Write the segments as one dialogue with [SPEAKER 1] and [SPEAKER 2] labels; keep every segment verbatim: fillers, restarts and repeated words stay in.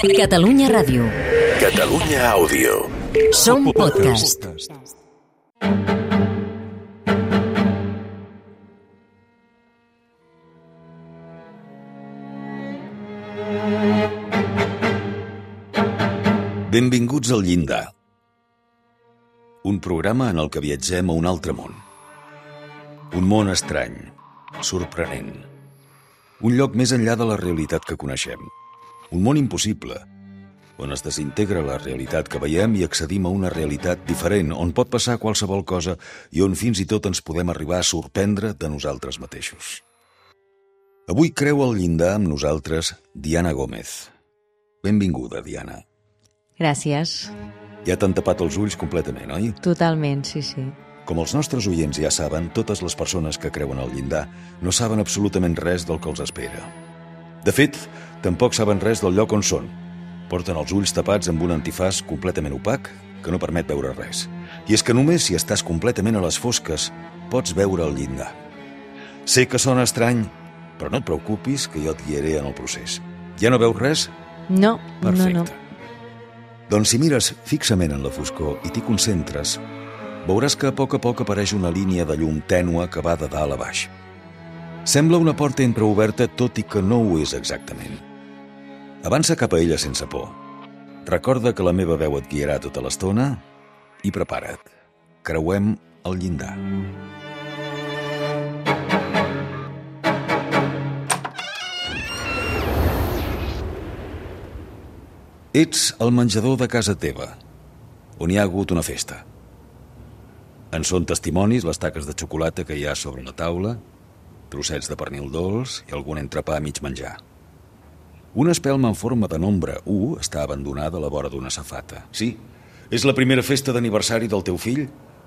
[SPEAKER 1] Catalunya Ràdio.
[SPEAKER 2] Catalunya Àudio.
[SPEAKER 1] Som podcast.
[SPEAKER 2] Benvinguts al Llindar. Un programa en el que viatgem a un altre món. Un món estrany, sorprenent. Un lloc més enllà de la realitat que coneixem. Un món impossible, on es desintegra la realitat que veiem i accedim a una realitat diferent, on pot passar qualsevol cosa i on fins i tot ens podem arribar a sorprendre de nosaltres mateixos. Avui creu al llindar amb nosaltres Diana Gómez. Benvinguda, Diana.
[SPEAKER 3] Gràcies.
[SPEAKER 2] Ja t'han tapat els ulls completament, oi?
[SPEAKER 3] Totalment, sí, sí.
[SPEAKER 2] Com els nostres oients ja saben, totes les persones que creuen al llindar no saben absolutament res del que els espera. De fet, tampoc saben res del lloc on són. Porten els ulls tapats amb un antifàs completament opac que no permet veure res. I és que només si estàs completament a les fosques pots veure el llindar. Sé que sona estrany, però no et preocupis que jo et guiaré en el procés. Ja no veus res?
[SPEAKER 3] No,
[SPEAKER 2] Perfecte.
[SPEAKER 3] no, no.
[SPEAKER 2] Doncs si mires fixament en la foscor i t'hi concentres, veuràs que a poc a poc apareix una línia de llum tènua que va de dalt a baix. Sembla una porta entreoberta, tot i que no ho és exactament. Avança cap a ella sense por. Recorda que la meva veu et guiarà tota l'estona i prepara't. Creuem el llindar. Ets al menjador de casa teva, on hi ha hagut una festa. En són testimonis les taques de xocolata que hi ha sobre la taula, trossets de pernil dolç i algun entrepà a mig menjar. Una espelma en forma de nombre u està abandonada a la vora d'una safata. Sí, és la primera festa d'aniversari del teu fill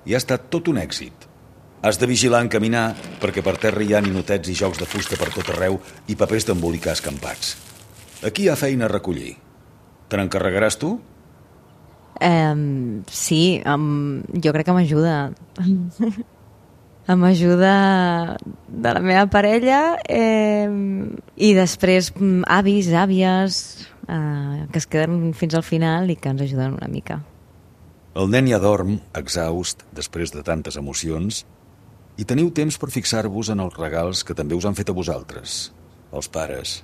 [SPEAKER 2] i ha estat tot un èxit. Has de vigilar en caminar perquè per terra hi ha ninotets i jocs de fusta per tot arreu i papers d'embolicar escampats. Aquí hi ha feina a recollir. Te n'encarregaràs tu?
[SPEAKER 3] Um, sí, um, jo crec que m'ajuda. M'ajuda de la meva parella eh, i després avis, àvies, eh, que es queden fins al final i que ens ajuden una mica.
[SPEAKER 2] El nen ja dorm, exhaust, després de tantes emocions, i teniu temps per fixar-vos en els regals que també us han fet a vosaltres, els pares.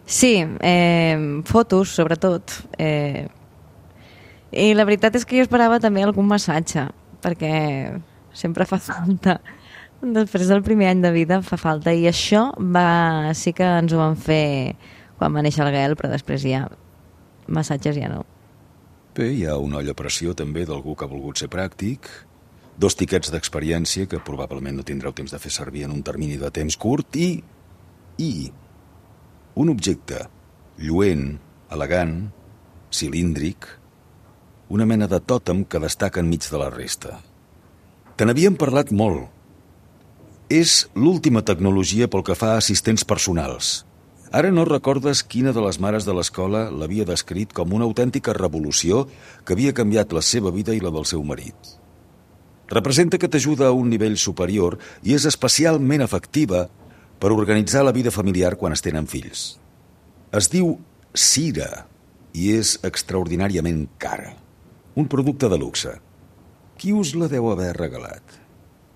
[SPEAKER 3] Sí, eh, fotos, sobretot. Eh, I la veritat és que jo esperava també algun massatge, perquè sempre fa falta. Després del primer any de vida fa falta. I això va, sí que ens ho van fer quan va néixer el Gael, però després ja massatges ja no.
[SPEAKER 2] Bé, hi ha una olla a pressió també d'algú que ha volgut ser pràctic, dos tiquets d'experiència que probablement no tindreu temps de fer servir en un termini de temps curt i... i... un objecte lluent, elegant, cilíndric, una mena de tòtem que destaca enmig de la resta. Te n'havíem parlat molt. És l'última tecnologia pel que fa a assistents personals. Ara no recordes quina de les mares de l'escola l'havia descrit com una autèntica revolució que havia canviat la seva vida i la del seu marit. Representa que t'ajuda a un nivell superior i és especialment efectiva per organitzar la vida familiar quan es tenen fills. Es diu Cira i és extraordinàriament cara. Un producte de luxe. Qui us la deu haver regalat?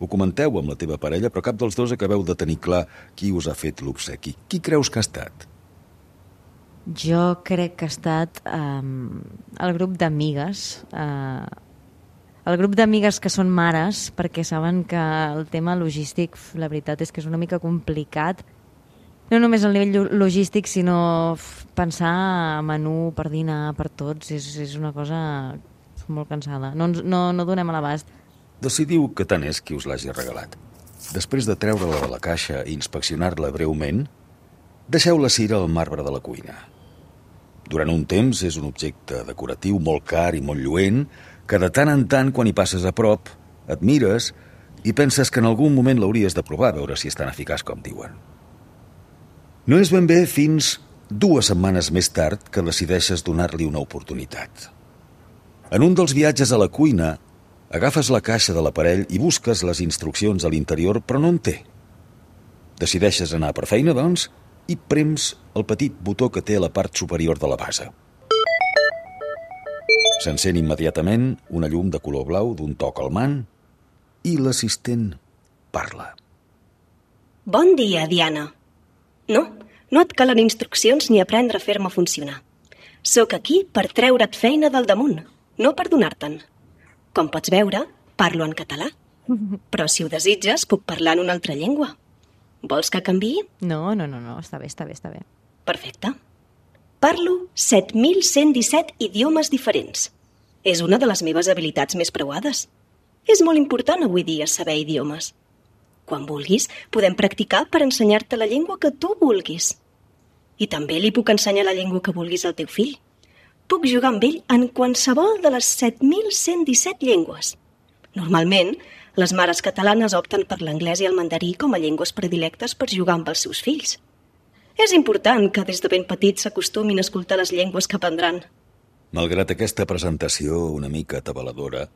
[SPEAKER 2] Ho comenteu amb la teva parella, però cap dels dos acabeu de tenir clar qui us ha fet l'obsequi. Qui creus que ha estat?
[SPEAKER 3] Jo crec que ha estat eh, el grup d'amigues, eh, el grup d'amigues que són mares, perquè saben que el tema logístic, la veritat és que és una mica complicat. No només el nivell logístic, sinó pensar a menú per dinar, per tots, és, és una cosa molt cansada. No, no, no donem a l'abast.
[SPEAKER 2] Decidiu que tant és qui us l'hagi regalat. Després de treure-la de la caixa i inspeccionar-la breument, deixeu la Cira al marbre de la cuina. Durant un temps és un objecte decoratiu molt car i molt lluent que de tant en tant, quan hi passes a prop, et mires i penses que en algun moment l'hauries de provar a veure si és tan eficaç com diuen. No és ben bé fins dues setmanes més tard que decideixes donar-li una oportunitat. En un dels viatges a la cuina, agafes la caixa de l'aparell i busques les instruccions a l'interior, però no en té. Decideixes anar per feina, doncs, i prems el petit botó que té a la part superior de la base. S'encén immediatament una llum de color blau d'un to calmant i l'assistent parla.
[SPEAKER 4] Bon dia, Diana. No, no et calen instruccions ni aprendre a fer-me funcionar. Sóc aquí per treure't feina del damunt, no per donar-te'n. Com pots veure, parlo en català. Però si ho desitges, puc parlar en una altra llengua. Vols que canviï?
[SPEAKER 3] No, no, no, no, està bé, està bé, està bé.
[SPEAKER 4] Perfecte. Parlo set mil cent disset idiomes diferents. És una de les meves habilitats més preuades. És molt important avui dia saber idiomes. Quan vulguis, podem practicar per ensenyar-te la llengua que tu vulguis. I també li puc ensenyar la llengua que vulguis al teu fill. Puc jugar amb ell en qualsevol de les set mil cent disset llengües. Normalment, les mares catalanes opten per l'anglès i el mandarí com a llengües predilectes per jugar amb els seus fills. És important que des de ben petits s'acostumin a escoltar les llengües que aprendran.
[SPEAKER 2] Malgrat aquesta presentació una mica atabaladora,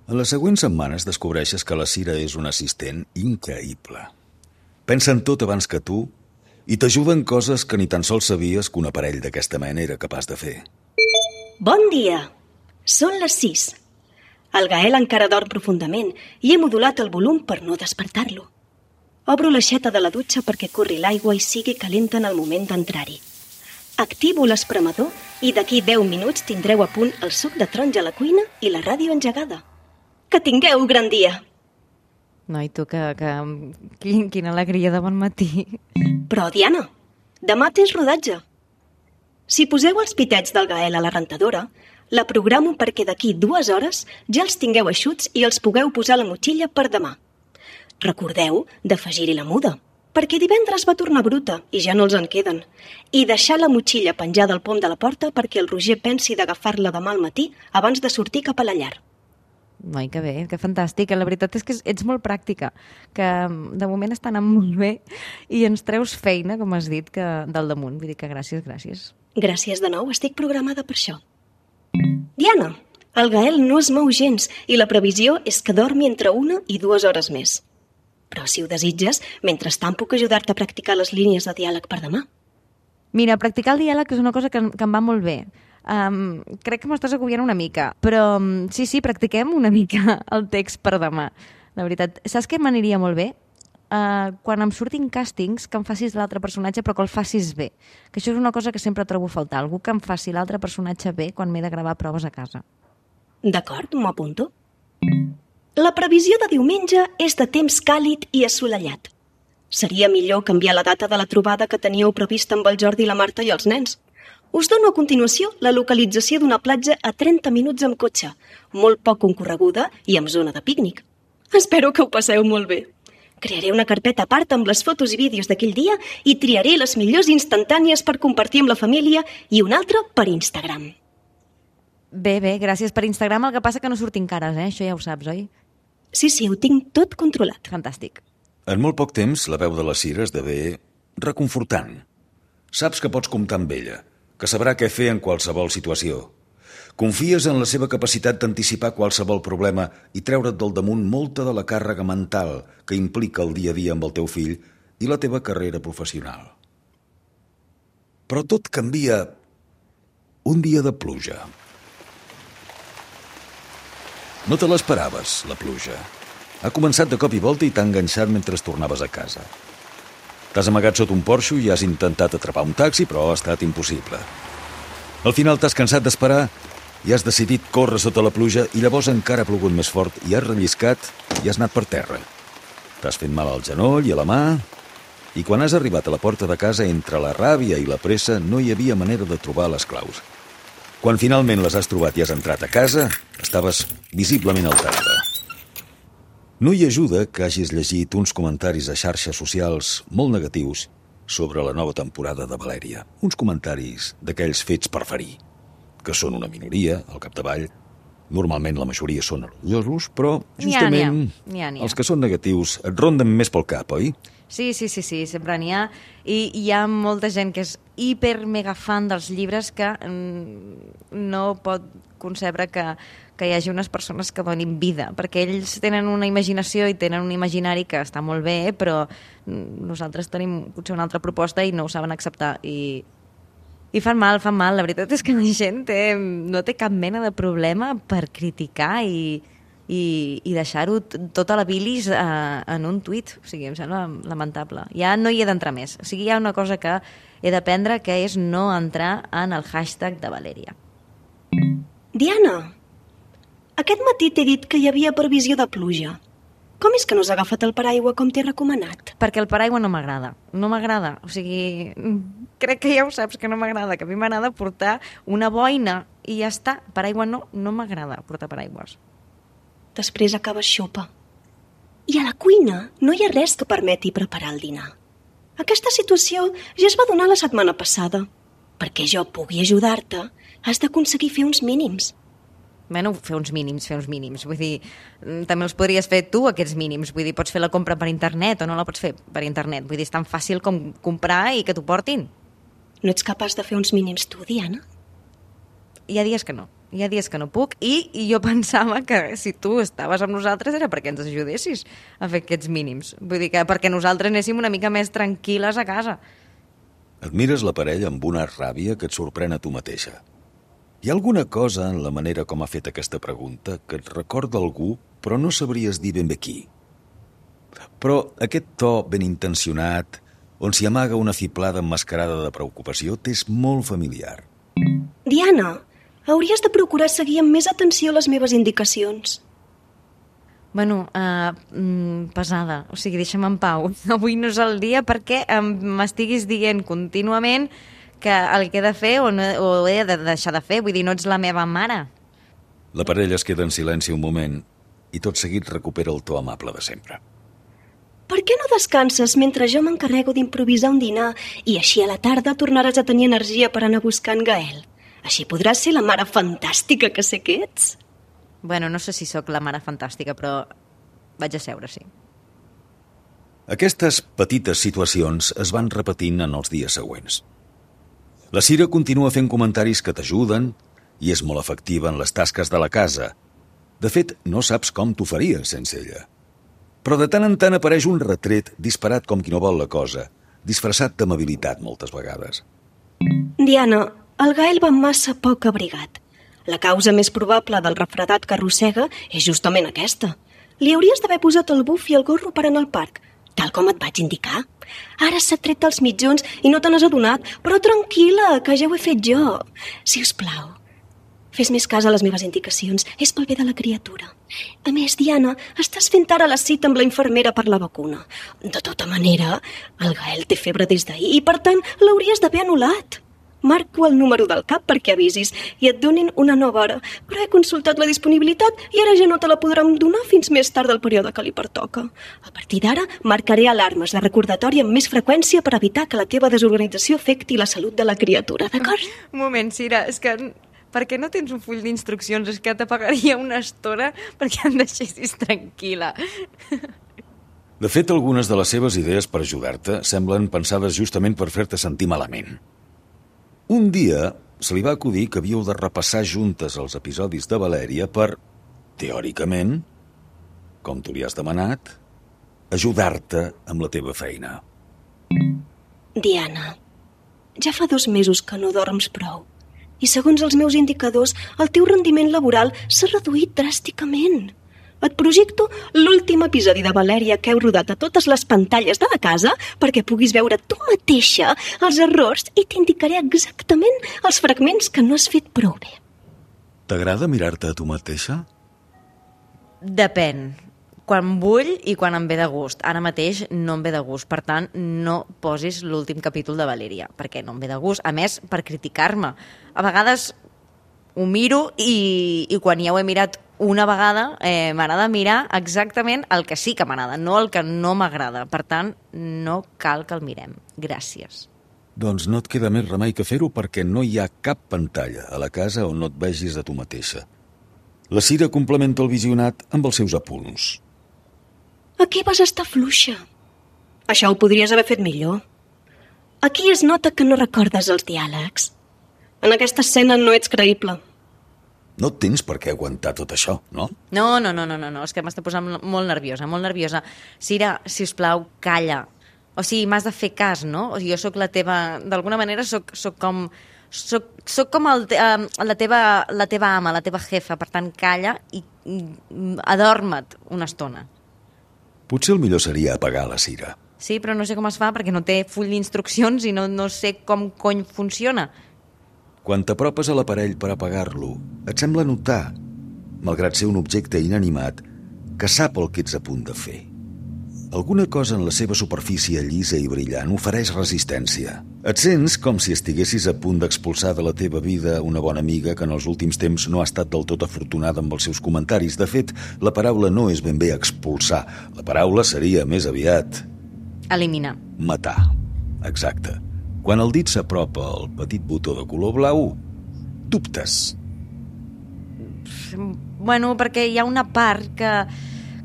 [SPEAKER 2] en les següents setmanes descobreixes que la Cira és un assistent increïble. Pensa en tot abans que tu i t'ajuda en coses que ni tan sols sabies que un aparell d'aquesta mena era capaç de fer.
[SPEAKER 4] Bon dia! Són les sis. El Gael encara dorm profundament i he modulat el volum per no despertar-lo. Obro l'aixeta de la dutxa perquè corri l'aigua i sigui calenta en el moment d'entrar-hi. Activo l'espremador i d'aquí deu minuts tindreu a punt el suc de taronja a la cuina i la ràdio engegada. Que tingueu gran dia!
[SPEAKER 3] Noi, tu, que, que quin, quina alegria de bon matí.
[SPEAKER 4] Però, Diana, demà tens rodatge. Si poseu els pitets del Gael a la rentadora, la programo perquè d'aquí dues hores ja els tingueu eixuts i els pugueu posar a la motxilla per demà. Recordeu d'afegir-hi la muda, perquè divendres va tornar bruta i ja no els en queden, i deixar la motxilla penjada al pom de la porta perquè el Roger pensi d'agafar-la demà al matí abans de sortir cap a la llar.
[SPEAKER 3] Noi, que bé, que fantàstic. La veritat és que ets molt pràctica, que de moment està anant molt bé i ens treus feina, com has dit, que del damunt. Vull dir que gràcies, gràcies.
[SPEAKER 4] Gràcies de nou, estic programada per això. Diana, el Gael no es mou gens i la previsió és que dormi entre una i dues hores més. Però si ho desitges, mentrestant puc ajudar-te a practicar les línies de diàleg per demà.
[SPEAKER 3] Mira, practicar el diàleg és una cosa que, que em va molt bé. Um, crec que m'estàs agobiant una mica, però um, sí, sí, practiquem una mica el text per demà. La veritat, saps què m'aniria molt bé? Uh, quan em surtin càstings, que em facis l'altre personatge, però que el facis bé. Que això és una cosa que sempre trobo a faltar. Algú que em faci l'altre personatge bé quan m'he de gravar proves a casa.
[SPEAKER 4] D'acord, m'ho apunto. La previsió de diumenge és de temps càlid i assolellat. Seria millor canviar la data de la trobada que teníeu prevista amb el Jordi, la Marta i els nens. Us dono a continuació la localització d'una platja a trenta minuts amb cotxe, molt poc concorreguda i amb zona de pícnic. Espero que ho passeu molt bé. Crearé una carpeta a part amb les fotos i vídeos d'aquell dia i triaré les millors instantànies per compartir amb la família i una altra per Instagram.
[SPEAKER 3] Bé, bé, gràcies per Instagram. El que passa que no surtin cares, eh? Això ja ho saps, oi?
[SPEAKER 4] Sí, sí, ho tinc tot controlat.
[SPEAKER 3] Fantàstic.
[SPEAKER 2] En molt poc temps, la veu de la Cira esdevé reconfortant. Saps que pots comptar amb ella, que sabrà què fer en qualsevol situació. Confies en la seva capacitat d'anticipar qualsevol problema i treure't del damunt molta de la càrrega mental que implica el dia a dia amb el teu fill i la teva carrera professional. Però tot canvia un dia de pluja. No te l'esperaves, la pluja. Ha començat de cop i volta i t'ha enganxat mentre tornaves a casa. T'has amagat sota un porxo i has intentat atrapar un taxi, però ha estat impossible. Al final t'has cansat d'esperar i has decidit córrer sota la pluja i llavors encara ha plogut més fort i has relliscat i has anat per terra. T'has fet mal al genoll i a la mà i quan has arribat a la porta de casa, entre la ràbia i la pressa, no hi havia manera de trobar les claus. Quan finalment les has trobat i has entrat a casa, estaves visiblement alterada. No hi ajuda que hagis llegit uns comentaris a xarxes socials molt negatius sobre la nova temporada de Valèria. Uns comentaris d'aquells fets per ferir, que són una minoria, al capdavall. Normalment la majoria són orgullosos, però justament
[SPEAKER 3] N'hi ha, n'hi ha, n'hi ha.
[SPEAKER 2] els que són negatius et ronden més pel cap, oi?
[SPEAKER 3] Sí, sí, sí, sí, sempre n'hi ha. I hi ha molta gent que és hiper mega fan dels llibres que mm, no pot concebre que, que hi hagi unes persones que donin vida, perquè ells tenen una imaginació i tenen un imaginari que està molt bé, però nosaltres tenim potser una altra proposta i no ho saben acceptar. I I fan mal, fan mal. La veritat és que la gent té, no té cap mena de problema per criticar i, i, i deixar-ho tota la bilis eh, en un tuit. O sigui, em sembla lamentable. Ja no hi he d'entrar més. O sigui, hi ha una cosa que he d'aprendre, que és no entrar en el hashtag de Valèria.
[SPEAKER 4] Diana, aquest matí t'he dit que hi havia previsió de pluja. Com és que no has agafat el paraigua com t'he recomanat?
[SPEAKER 3] Perquè el paraigua no m'agrada. No m'agrada. O sigui, crec que ja ho saps que no m'agrada, que a mi m'agrada portar una boina i ja està. Paraigua no, no m'agrada portar paraigües.
[SPEAKER 4] Després acabes xopa. I a la cuina no hi ha res que permeti preparar el dinar. Aquesta situació ja es va donar la setmana passada. Perquè jo pugui ajudar-te, has d'aconseguir fer uns mínims.
[SPEAKER 3] Bueno, fer uns mínims, fer uns mínims. Vull dir, també els podries fer tu, aquests mínims. Vull dir, pots fer la compra per internet o no la pots fer per internet. Vull dir, és tan fàcil com comprar i que t'ho portin.
[SPEAKER 4] No ets capaç de fer uns mínims tu, Diana?
[SPEAKER 3] Hi ha dies que no. Hi ha dies que no puc i, i jo pensava que si tu estaves amb nosaltres era perquè ens ajudessis a fer aquests mínims. Vull dir que perquè nosaltres anéssim una mica més tranquil·les a casa.
[SPEAKER 2] Admires la parella amb una ràbia que et sorprèn a tu mateixa. Hi ha alguna cosa en la manera com ha fet aquesta pregunta que et recorda algú, però no sabries dir ben bé qui. Però aquest to ben intencionat, on s'hi amaga una fiblada emmascarada de preocupació, t'és molt familiar.
[SPEAKER 4] Diana, hauries de procurar seguir amb més atenció les meves indicacions.
[SPEAKER 3] Bueno, uh, mm, pesada. O sigui, deixa'm en pau. Avui no és el dia perquè m'estiguis dient contínuament que el que he de fer o, no, o he de deixar de fer. Vull dir, no ets la meva mare.
[SPEAKER 2] La parella es queda en silenci un moment i tot seguit recupera el to amable de sempre.
[SPEAKER 4] Per què no descanses mentre jo m'encarrego d'improvisar un dinar i així a la tarda tornaràs a tenir energia per anar buscant Gael? Així podràs ser la mare fantàstica que sé que ets.
[SPEAKER 3] Bueno, no sé si sóc la mare fantàstica, però vaig a seure, sí.
[SPEAKER 2] Aquestes petites situacions es van repetint en els dies següents. La Cira continua fent comentaris que t'ajuden i és molt efectiva en les tasques de la casa. De fet, no saps com t'ho faries sense ella. Però de tant en tant apareix un retret disparat com qui no vol la cosa, disfressat d'amabilitat moltes vegades.
[SPEAKER 4] Diana, el Gael va massa poc abrigat. La causa més probable del refredat que arrossega és justament aquesta. Li hauries d'haver posat el buf i el gorro per anar al parc, tal com et vaig indicar. Ara s'ha tret els mitjons i no te n'has adonat, però tranquil·la, que ja ho he fet jo. Si us plau, fes més cas a les meves indicacions, és pel bé de la criatura. A més, Diana, estàs fent ara la cita amb la infermera per la vacuna. De tota manera, el Gael té febre des d'ahir i, per tant, l'hauries d'haver anul·lat. Marco el número del cap perquè avisis i et donin una nova hora, però he consultat la disponibilitat i ara ja no te la podrem donar fins més tard del període que li pertoca. A partir d'ara, marcaré alarmes de recordatori amb més freqüència per evitar que la teva desorganització afecti la salut de la criatura, d'acord?
[SPEAKER 3] Un moment, Cira, és que per què no tens un full d'instruccions? És que t'apagaria una estona perquè em deixessis tranquil·la.
[SPEAKER 2] De fet, algunes de les seves idees per ajudar-te semblen pensades justament per fer-te sentir malament. Un dia se li va acudir que havíeu de repassar juntes els episodis de Valèria per, teòricament, com tu li has demanat, ajudar-te amb la teva feina.
[SPEAKER 4] Diana, ja fa dos mesos que no dorms prou i segons els meus indicadors el teu rendiment laboral s'ha reduït dràsticament. Et projecto l'últim episodi de Valèria que heu rodat a totes les pantalles de la casa perquè puguis veure tu mateixa els errors i t'indicaré exactament els fragments que no has fet prou bé.
[SPEAKER 2] T'agrada mirar-te a tu mateixa?
[SPEAKER 3] Depèn. Quan vull i quan em ve de gust. Ara mateix no em ve de gust. Per tant, no posis l'últim capítol de Valèria, perquè no em ve de gust. A més, per criticar-me. A vegades ho miro i, i quan ja ho he mirat una vegada eh, m'agrada mirar exactament el que sí que m'agrada, no el que no m'agrada. Per tant, no cal que el mirem. Gràcies.
[SPEAKER 2] Doncs no et queda més remei que fer-ho perquè no hi ha cap pantalla a la casa on no et vegis a tu mateixa. La Cira complementa el visionat amb els seus apunts.
[SPEAKER 4] Aquí vas estar fluixa. Això ho podries haver fet millor. Aquí es nota que no recordes els diàlegs. En aquesta escena no ets creïble.
[SPEAKER 2] No tens per què aguantar tot això, no?
[SPEAKER 3] No, no, no, no, no, no. És que m'està posant molt nerviosa, molt nerviosa. Cira, sisplau, calla. O sigui, m'has de fer cas, no? O sigui, jo sóc la teva... D'alguna manera sóc, sóc com soc, soc com el, uh, la, teva, la teva ama, la teva jefa, per tant, calla i, i adorma't una estona.
[SPEAKER 2] Potser el millor seria apagar la cira.
[SPEAKER 3] Sí, però no sé com es fa perquè no té full d'instruccions i no, no sé com cony funciona.
[SPEAKER 2] Quan t'apropes a l'aparell per apagar-lo, et sembla notar, malgrat ser un objecte inanimat, que sap el que ets a punt de fer. Alguna cosa en la seva superfície llisa i brillant ofereix resistència. Et sents com si estiguessis a punt d'expulsar de la teva vida una bona amiga que en els últims temps no ha estat del tot afortunada amb els seus comentaris. De fet, la paraula no és ben bé expulsar. La paraula seria més aviat...
[SPEAKER 3] Eliminar.
[SPEAKER 2] Matar. Exacte. Quan el dit s'apropa al petit botó de color blau, dubtes.
[SPEAKER 3] Bueno, perquè hi ha una part que,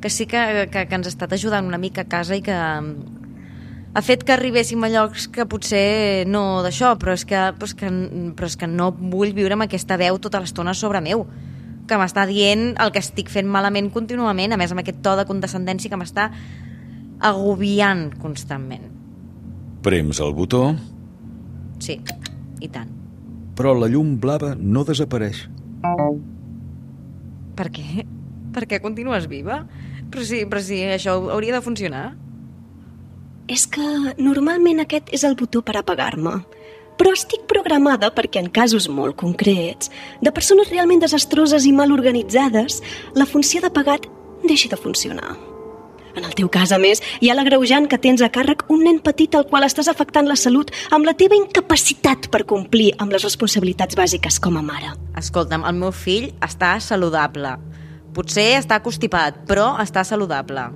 [SPEAKER 3] que sí que, que, que ens ha estat ajudant una mica a casa i que ha fet que arribéssim a llocs que potser no d'això, però és que, però és que, però és que no vull viure amb aquesta veu tota l'estona sobre meu, que m'està dient el que estic fent malament contínuament, a més amb aquest to de condescendència que m'està agobiant constantment.
[SPEAKER 2] Prems el botó...
[SPEAKER 3] Sí, i tant.
[SPEAKER 2] Però la llum blava no desapareix.
[SPEAKER 3] Per què? Per què continues viva? Però si, però si això hauria de funcionar.
[SPEAKER 4] És que normalment aquest és el botó per apagar-me. Però estic programada perquè en casos molt concrets, de persones realment desastroses i mal organitzades, la funció d'apagat deixi de funcionar. En el teu cas, a més, hi ha l'agreujant que tens a càrrec un nen petit al qual estàs afectant la salut amb la teva incapacitat per complir amb les responsabilitats bàsiques com a mare.
[SPEAKER 3] Escolta'm, el meu fill està saludable. Potser està constipat, però està saludable.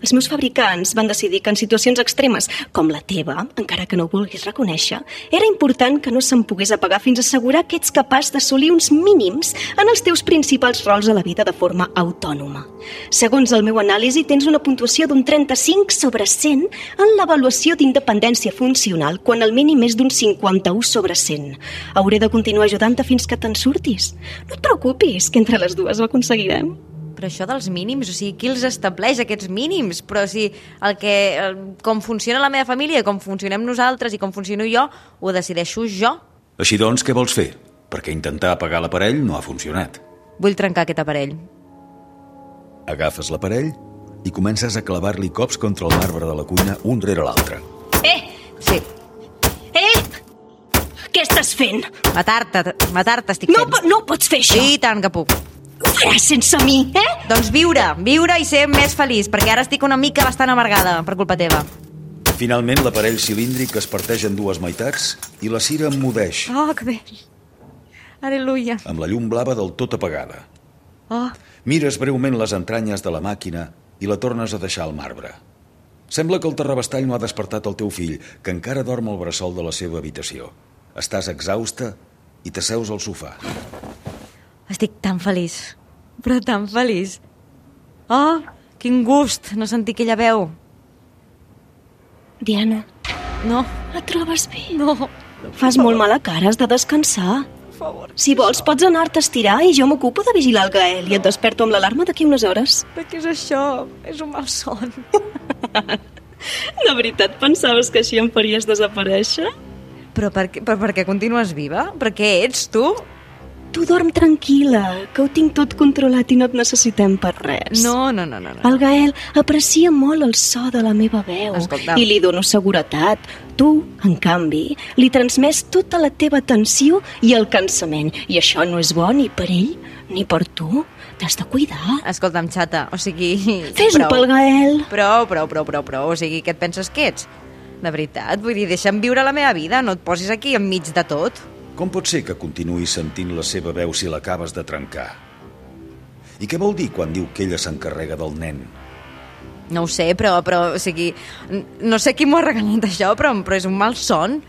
[SPEAKER 4] Els meus fabricants van decidir que en situacions extremes, com la teva, encara que no ho vulguis reconèixer, era important que no se'n pogués apagar fins a assegurar que ets capaç d'assolir uns mínims en els teus principals rols a la vida de forma autònoma. Segons el meu anàlisi, tens una puntuació d'un trenta-cinc sobre cent en l'avaluació d'independència funcional, quan el mínim és d'un cinquanta-u sobre cent. Hauré de continuar ajudant-te fins que te'n surtis. No et preocupis, que entre les dues ho aconseguirem.
[SPEAKER 3] Però això dels mínims, o sigui, qui els estableix, aquests mínims? Però si el que, el, com funciona la meva família, com funcionem nosaltres i com funciono jo, ho decideixo jo.
[SPEAKER 2] Així doncs, què vols fer? Perquè intentar apagar l'aparell no ha funcionat.
[SPEAKER 3] Vull trencar aquest aparell.
[SPEAKER 2] Agafes l'aparell i comences a clavar-li cops contra el marbre de la cuina un rere l'altre.
[SPEAKER 4] Eh!
[SPEAKER 3] Sí.
[SPEAKER 4] Eh! Què estàs fent?
[SPEAKER 3] Matar-te, matar-te estic
[SPEAKER 4] No,
[SPEAKER 3] fent.
[SPEAKER 4] po- no pots fer això!
[SPEAKER 3] Sí, i tant que puc.
[SPEAKER 4] Ho faràs sense mi, eh?
[SPEAKER 3] Doncs viure, viure i ser més feliç, perquè ara estic una mica bastant amargada per culpa teva.
[SPEAKER 2] Finalment, l'aparell cilíndric es parteix en dues meitats i la cira emmudeix,
[SPEAKER 3] Oh, que bé. Aleluia.
[SPEAKER 2] amb la llum blava del tot apagada.
[SPEAKER 3] Oh,
[SPEAKER 2] Mires breument les entranyes de la màquina i la tornes a deixar al marbre. Sembla que el terrabastall no ha despertat el teu fill, que encara dorm al bressol de la seva habitació. Estàs exhausta i t'asseus al sofà.
[SPEAKER 3] estic tan feliç, però tan feliç. Oh, quin gust no sentir aquella veu.
[SPEAKER 4] Diana,
[SPEAKER 3] No,
[SPEAKER 4] et trobes bé?
[SPEAKER 3] no,
[SPEAKER 4] Fas molt mala cara, has de descansar.
[SPEAKER 3] per favor.
[SPEAKER 4] Si vols, pots anar-te a estirar i jo m'ocupo de vigilar el Gael i et desperto amb l'alarma d'aquí unes hores.
[SPEAKER 3] Però què és això? És un mal son.
[SPEAKER 4] De veritat pensaves que així em faries desaparèixer?
[SPEAKER 3] Però per, què- però per què continues viva? Per què ets tu?
[SPEAKER 4] Tu dorm tranquil·la, que ho tinc tot controlat i no et necessitem per res.
[SPEAKER 3] No, no, no, no. no.
[SPEAKER 4] El Gael aprecia molt el so de la meva veu
[SPEAKER 3] Escolta.
[SPEAKER 4] i li dono seguretat. Tu, en canvi, li transmets tota la teva atenció i el cansament. I això no és bo ni per ell ni per tu. T'has de cuidar.
[SPEAKER 3] Escolta'm, xata, o sigui...
[SPEAKER 4] Fes-ho
[SPEAKER 3] prou.
[SPEAKER 4] pel Gael.
[SPEAKER 3] Prou, prou, prou, prou, prou. O sigui, què et penses que ets? De veritat, vull dir, deixa'm viure la meva vida, no et posis aquí enmig de tot.
[SPEAKER 2] Com pot ser que continuïs sentint la seva veu si l'acabes de trencar? I què vol dir quan diu que ella s'encarrega del nen?
[SPEAKER 3] No ho sé, però, però o sigui, n- no sé qui m'ho ha regalat això, però, però és un mal son.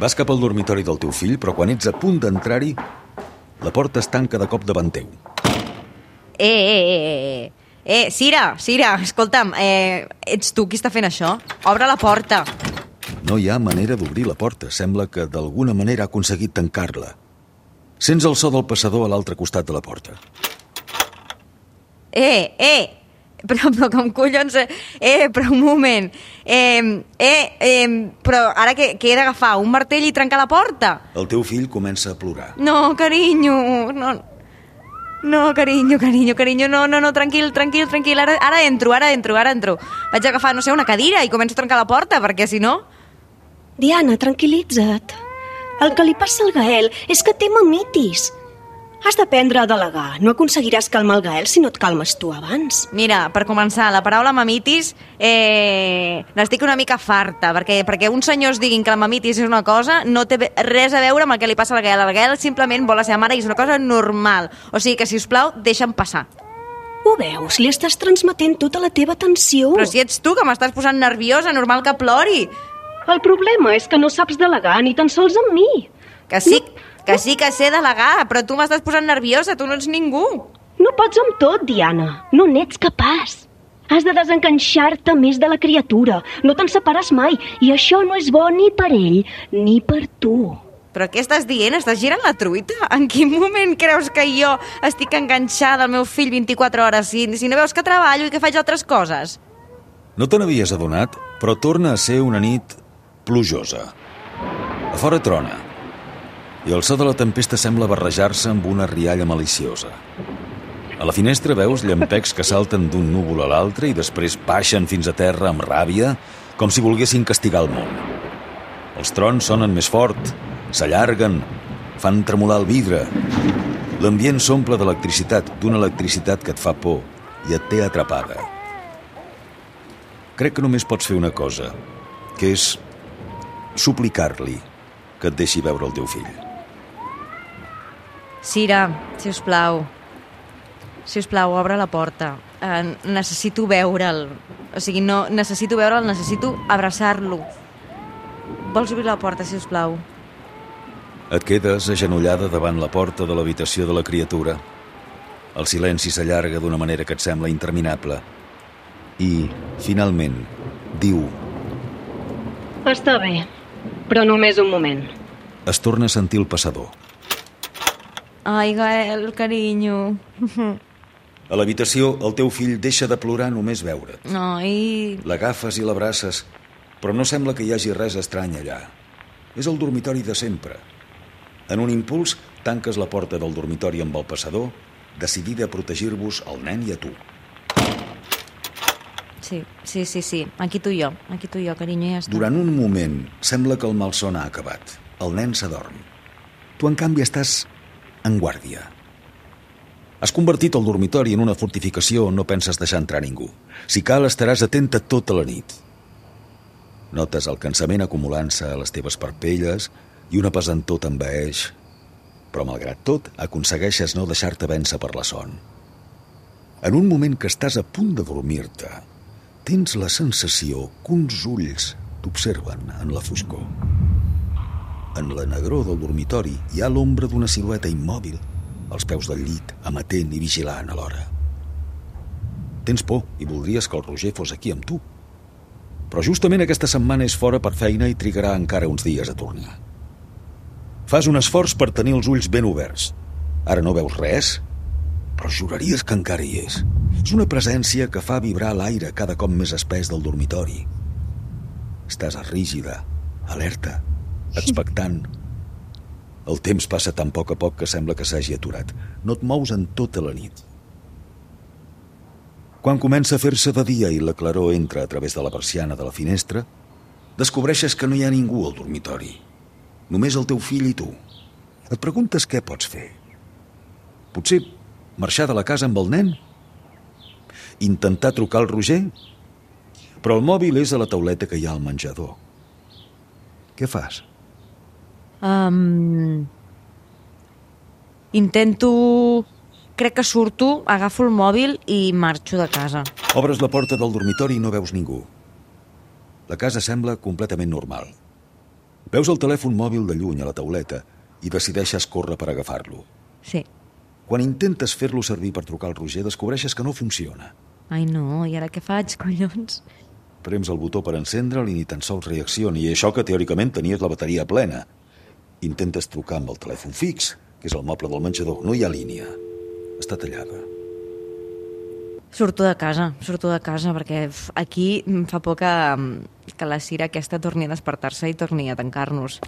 [SPEAKER 2] Vas cap al dormitori del teu fill, però quan ets a punt d'entrar-hi, la porta es tanca de cop davant teu.
[SPEAKER 3] Eh, eh, eh, eh, eh, Cira, Cira, escolta'm, eh, ets tu qui està fent això? Obre la porta.
[SPEAKER 2] No hi ha manera d'obrir la porta. Sembla que d'alguna manera ha aconseguit tancar-la. Sents el so del passador a l'altre costat de la porta.
[SPEAKER 3] Eh, eh, Però, però com collons... Eh, però un moment. Eh, eh, eh, però ara què, què he d'agafar? Un martell i trencar la porta?
[SPEAKER 2] El teu fill comença a plorar.
[SPEAKER 3] No, carinyo, no... No, carinyo, carinyo, carinyo, no, no, no, tranquil, tranquil, tranquil, ara, ara entro, ara entro, ara entro. Vaig a agafar, no sé, una cadira i començo a trencar la porta, perquè si no...
[SPEAKER 4] Diana, tranquil·litza't. El que li passa al Gael és que té mamitis. Has d'aprendre a delegar. No aconseguiràs calmar el Gael si no et calmes tu abans.
[SPEAKER 3] Mira, per començar, la paraula mamitis eh, n'estic una mica farta, perquè, perquè uns senyors diguin que la mamitis és una cosa no té res a veure amb el que li passa al Gael. El Gael simplement vol la seva mare i és una cosa normal. O sigui que, si us plau, deixa'm passar.
[SPEAKER 4] Ho veus? Li estàs transmetent tota la teva tensió.
[SPEAKER 3] Però si ets tu que m'estàs posant nerviosa, normal que plori.
[SPEAKER 4] El problema és que no saps delegar ni tan sols amb mi.
[SPEAKER 3] Que sí, que sí que sé delegar, però tu m'estàs posant nerviosa, tu no ets ningú.
[SPEAKER 4] No pots amb tot, Diana. No n'ets capaç. Has de desenganxar-te més de la criatura. No te'n separes mai, i això no és bo ni per ell ni per tu.
[SPEAKER 3] Però què estàs dient? Estàs girant la truita? En quin moment creus que jo estic enganxada al meu fill vint-i-quatre hores si, si no veus que treballo i que faig altres coses?
[SPEAKER 2] No te n'havies adonat, però torna a ser una nit plujosa. A fora trona, i el so de la tempesta sembla barrejar-se amb una rialla maliciosa. A la finestra veus llampecs que salten d'un núvol a l'altre i després baixen fins a terra amb ràbia, com si volguessin castigar el món. Els trons sonen més fort, s'allarguen, fan tremolar el vidre. L'ambient s'omple d'electricitat, d'una electricitat que et fa por i et té atrapada. Crec que només pots fer una cosa, que és suplicar-li que et deixi veure el teu fill.
[SPEAKER 3] Cira, si us plau. Si us plau, obre la porta. Eh, necessito veure'l. O sigui, no necessito veure'l, necessito abraçar-lo. Vols obrir la porta, si us plau?
[SPEAKER 2] Et quedes agenollada davant la porta de l'habitació de la criatura. El silenci s'allarga d'una manera que et sembla interminable. I, finalment, diu...
[SPEAKER 4] Està bé, però només un moment.
[SPEAKER 2] Es torna a sentir el passador.
[SPEAKER 3] Ai, Gael, carinyo.
[SPEAKER 2] A l'habitació, el teu fill deixa de plorar només veure't.
[SPEAKER 3] Ai...
[SPEAKER 2] L'agafes i l'abraces, però no sembla que hi hagi res estrany allà. És el dormitori de sempre. En un impuls, tanques la porta del dormitori amb el passador, decidida a protegir-vos el nen i a tu.
[SPEAKER 3] Sí, sí, sí, sí. Aquí tu i jo, aquí tu i jo, carinyo, ja està.
[SPEAKER 2] Durant un moment, sembla que el malson ha acabat. El nen s'adorm. Tu, en canvi, estàs en guàrdia. Has convertit el dormitori en una fortificació on no penses deixar entrar ningú. Si cal, estaràs atenta tota la nit. Notes el cansament acumulant-se a les teves parpelles i una pesantor t'envaeix, però malgrat tot aconsegueixes no deixar-te vèncer per la son. En un moment que estàs a punt de dormir-te, tens la sensació que uns ulls t'observen en la foscor. En la negror del dormitori hi ha l'ombra d'una silueta immòbil als peus del llit, amatent i vigilant alhora. Tens por i voldries que el Roger fos aquí amb tu. Però justament aquesta setmana és fora per feina i trigarà encara uns dies a tornar. Fas un esforç per tenir els ulls ben oberts. Ara no veus res, però juraries que encara hi és. És una presència que fa vibrar l'aire cada cop més espès del dormitori. Estàs rígida, alerta, expectant. El temps passa tan poc a poc que sembla que s'hagi aturat. No et mous en tota la nit. Quan comença a fer-se de dia i la claror entra a través de la persiana de la finestra, descobreixes que no hi ha ningú al dormitori. Només el teu fill i tu. Et preguntes què pots fer. Potser marxar de la casa amb el nen? Intentar trucar al Roger? Però el mòbil és a la tauleta que hi ha al menjador. Què fas?
[SPEAKER 3] Um, intento... Crec que surto, agafo el mòbil i marxo de casa.
[SPEAKER 2] Obres la porta del dormitori i no veus ningú. La casa sembla completament normal. Veus el telèfon mòbil de lluny a la tauleta i decideixes córrer per agafar-lo.
[SPEAKER 3] Sí.
[SPEAKER 2] Quan intentes fer-lo servir per trucar al Roger, descobreixes que no funciona.
[SPEAKER 3] Ai, no, i ara què faig, collons?
[SPEAKER 2] Prems el botó per encendre'l i ni tan sols reacciona, i això que teòricament tenies la bateria plena. Intentes trucar amb el telèfon fix, que és el moble del menjador. No hi ha línia. Està tallada.
[SPEAKER 3] Surto de casa, surto de casa, perquè aquí em fa por que, que la Cira aquesta torni a despertar-se i torni a tancar-nos.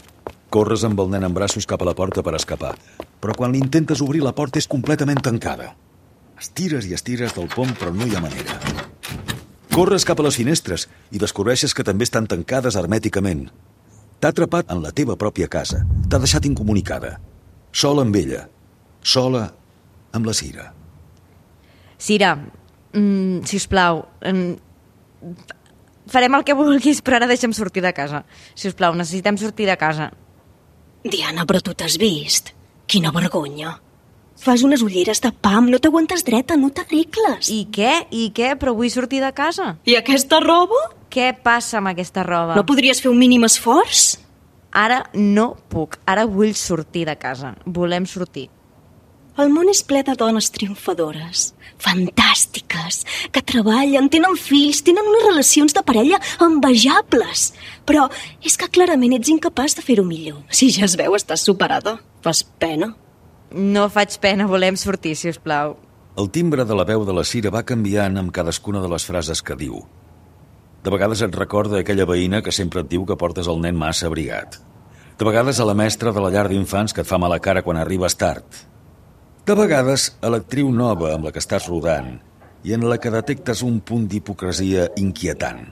[SPEAKER 2] Corres amb el nen en braços cap a la porta per escapar, però quan l'intentes obrir la porta és completament tancada. Estires i estires del pom, però no hi ha manera. Corres cap a les finestres i descobreixes que també estan tancades hermèticament. T'ha atrapat en la teva pròpia casa, t'ha deixat incomunicada. Sola amb ella, sola amb la Cira.
[SPEAKER 3] Cira, mm, sisplau, mm, farem el que vulguis, però ara deixa'm sortir de casa. Sisplau, necessitem sortir de casa.
[SPEAKER 4] Diana, però tu t'has vist? Quina vergonya. Fas unes ulleres de pam, no t'aguantes dreta, no t'arregles.
[SPEAKER 3] I què? I què? Però vull sortir de casa.
[SPEAKER 4] I aquesta roba?
[SPEAKER 3] Què passa amb aquesta roba?
[SPEAKER 4] No podries fer un mínim esforç?
[SPEAKER 3] Ara no puc. Ara vull sortir de casa. Volem sortir.
[SPEAKER 4] El món és ple de dones triomfadores, fantàstiques, que treballen, tenen fills, tenen unes relacions de parella envejables. Però és que clarament ets incapaç de fer-ho millor. Si ja es veu, estàs superada. Fas pena.
[SPEAKER 3] No faig pena, volem sortir, si us plau.
[SPEAKER 2] El timbre de la veu de la Cira va canviant amb cadascuna de les frases que diu. De vegades et recorda aquella veïna que sempre et diu que portes el nen massa abrigat. De vegades a la mestra de la llar d'infants que et fa mala cara quan arribes tard. De vegades a l'actriu nova amb la que estàs rodant i en la que detectes un punt d'hipocresia inquietant.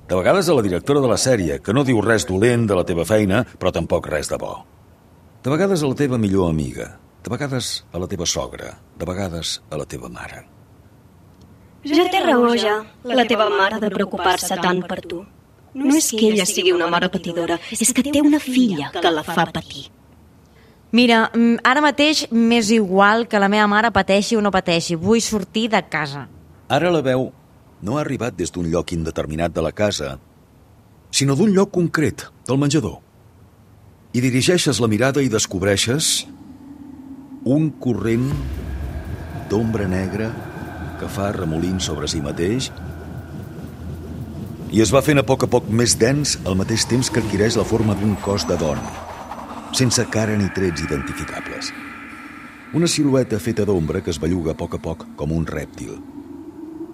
[SPEAKER 2] De vegades a la directora de la sèrie, que no diu res dolent de la teva feina, però tampoc res de bo. De vegades a la teva millor amiga, de vegades a la teva sogra, de vegades a la teva mare.
[SPEAKER 4] Ja té raó, ja, la teva mare de preocupar-se tant per tu. No és que ella sigui una mare patidora, és que té una filla que la fa patir.
[SPEAKER 3] Mira, ara mateix m'és igual que la meva mare pateixi o no pateixi. Vull sortir de casa.
[SPEAKER 2] Ara la veu no ha arribat des d'un lloc indeterminat de la casa, sinó d'un lloc concret, del menjador. I dirigeixes la mirada i descobreixes un corrent d'ombra negra que fa remolins sobre si mateix i es va fent a poc a poc més dens al mateix temps que adquireix la forma d'un cos de dona, sense cara ni trets identificables. Una silueta feta d'ombra que es belluga a poc a poc com un rèptil.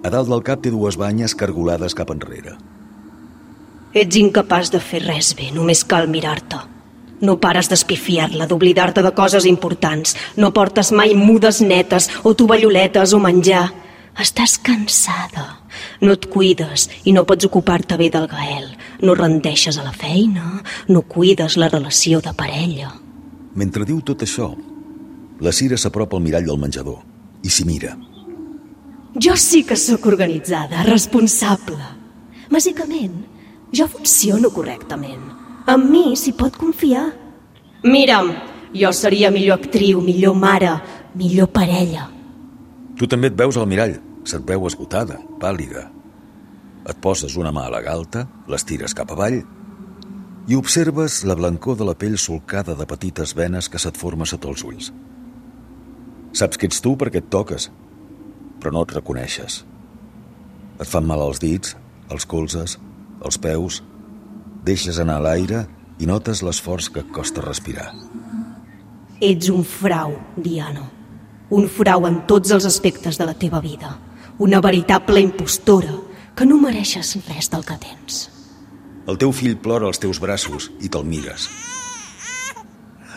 [SPEAKER 2] A dalt del cap té dues banyes cargolades cap enrere.
[SPEAKER 4] Ets incapaç de fer res bé, només cal mirar-te. No pares d'espifiar-la, d'oblidar-te de coses importants. No portes mai mudes netes o tovalloletes o menjar. Estàs cansada. No et cuides i no pots ocupar-te bé del Gael. No rendeixes a la feina, no cuides la relació de parella.
[SPEAKER 2] Mentre diu tot això, la Cira s'apropa al mirall del menjador i s'hi mira.
[SPEAKER 4] Jo sí que sóc organitzada, responsable. Bàsicament, jo funciono correctament. Amb mi s'hi pot confiar. Mira'm, jo seria millor actriu, millor mare, millor parella.
[SPEAKER 2] Tu també et veus al mirall. Se't veu esgotada, pàl·lida. Et poses una mà a la galta, l'estires cap avall i observes la blancor de la pell solcada de petites venes que se't forma sota els ulls. Saps que ets tu perquè et toques, però no et reconeixes. Et fan mal els dits, els colzes, els peus, deixes anar l'aire i notes l'esforç que et costa respirar.
[SPEAKER 4] Ets un frau, Diana. Un frau en tots els aspectes de la teva vida. Una veritable impostora que no mereixes res del que tens.
[SPEAKER 2] El teu fill plora als teus braços i te'l mires.